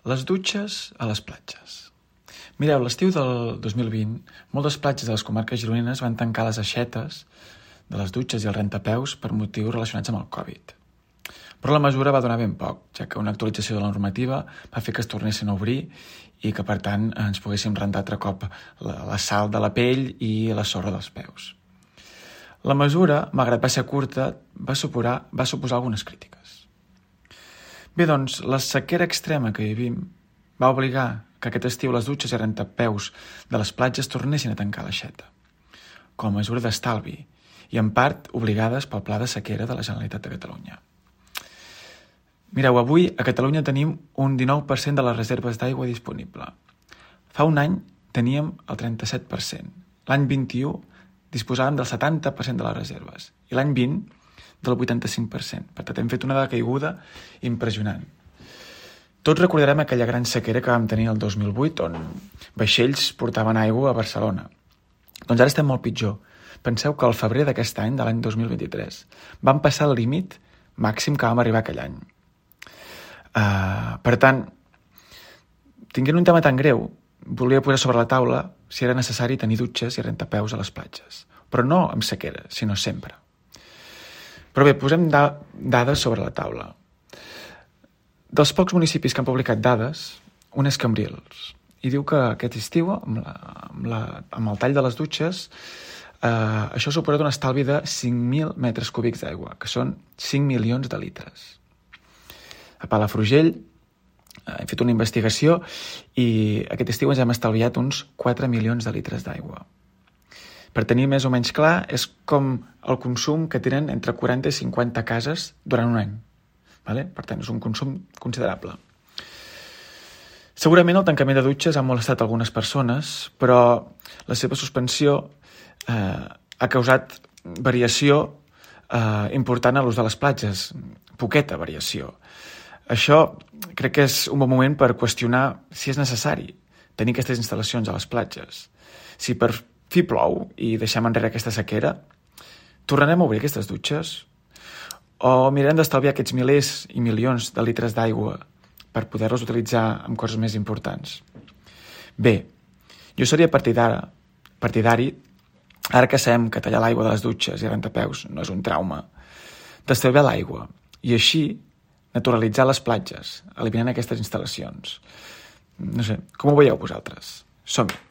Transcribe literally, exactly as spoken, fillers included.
Les dutxes a les platges. Mireu, l'estiu del dos mil vint, moltes platges de les comarques gironines van tancar les aixetes de les dutxes i els rentapeus per motius relacionats amb el Covid. Però la mesura va donar ben poc, ja que una actualització de la normativa va fer que es tornessin a obrir i que, per tant, ens poguéssim rentar altre cop la, la sal de la pell i la sorra dels peus. La mesura, malgrat va ser curta, va suposar, va suposar algunes crítiques. Bé, doncs, la sequera extrema que vivim va obligar que aquest estiu les dutxes i rentapeus de les platges tornessin a tancar l'aixeta, com a mesura d'estalvi, i en part obligades pel Pla de Sequera de la Generalitat de Catalunya. Mireu, avui a Catalunya tenim un dinou per cent de les reserves d'aigua disponible. Fa un any teníem el trenta-set per cent. L'any vint-i-u disposàvem del setanta per cent de les reserves i l'any vint del vuitanta-cinc per cent. Per tant, hem fet una decaiguda impressionant. Tots recordarem aquella gran sequera que vam tenir el dos mil vuit, on vaixells portaven aigua a Barcelona. Doncs ara estem molt pitjor. Penseu que al febrer d'aquest any, de l'any dos mil vint-i-tres, vam passar el límit màxim que vam arribar aquell any. Uh, per tant, tinguent un tema tan greu, volia posar sobre la taula si era necessari tenir dutxes i rentapeus a les platges. Però no amb sequera, sinó sempre. Però bé, posem da- dades sobre la taula. Dels pocs municipis que han publicat dades, un és Cambrils, i diu que aquest estiu, amb, la, amb, la, amb el tall de les dutxes, eh, això ha suposat un estalvi de cinc mil metres cúbics d'aigua, que són cinc milions de litres. A Palafrugell eh, hem fet una investigació i aquest estiu ens hem estalviat uns quatre milions de litres d'aigua. Per tenir més o menys clar, és com el consum que tenen entre quaranta i cinquanta cases durant un any. Vale? Per tant, és un consum considerable. Segurament el tancament de dutxes ha molestat algunes persones, però la seva suspensió eh, ha causat variació eh, important a l'ús de les platges, poqueta variació. Això crec que és un bon moment per qüestionar si és necessari tenir aquestes instal·lacions a les platges. Si per fi plou i deixem enrere aquesta sequera, tornarem a obrir aquestes dutxes? O mirarem d'estalviar aquests milers i milions de litres d'aigua per poder-los utilitzar en coses més importants? Bé, jo seria partidari, partidari, ara que sabem que tallar l'aigua de les dutxes i rentapeus no és un trauma, d'estalviar l'aigua i així naturalitzar les platges, eliminant aquestes instal·lacions. No sé, com ho veieu vosaltres? Som-hi!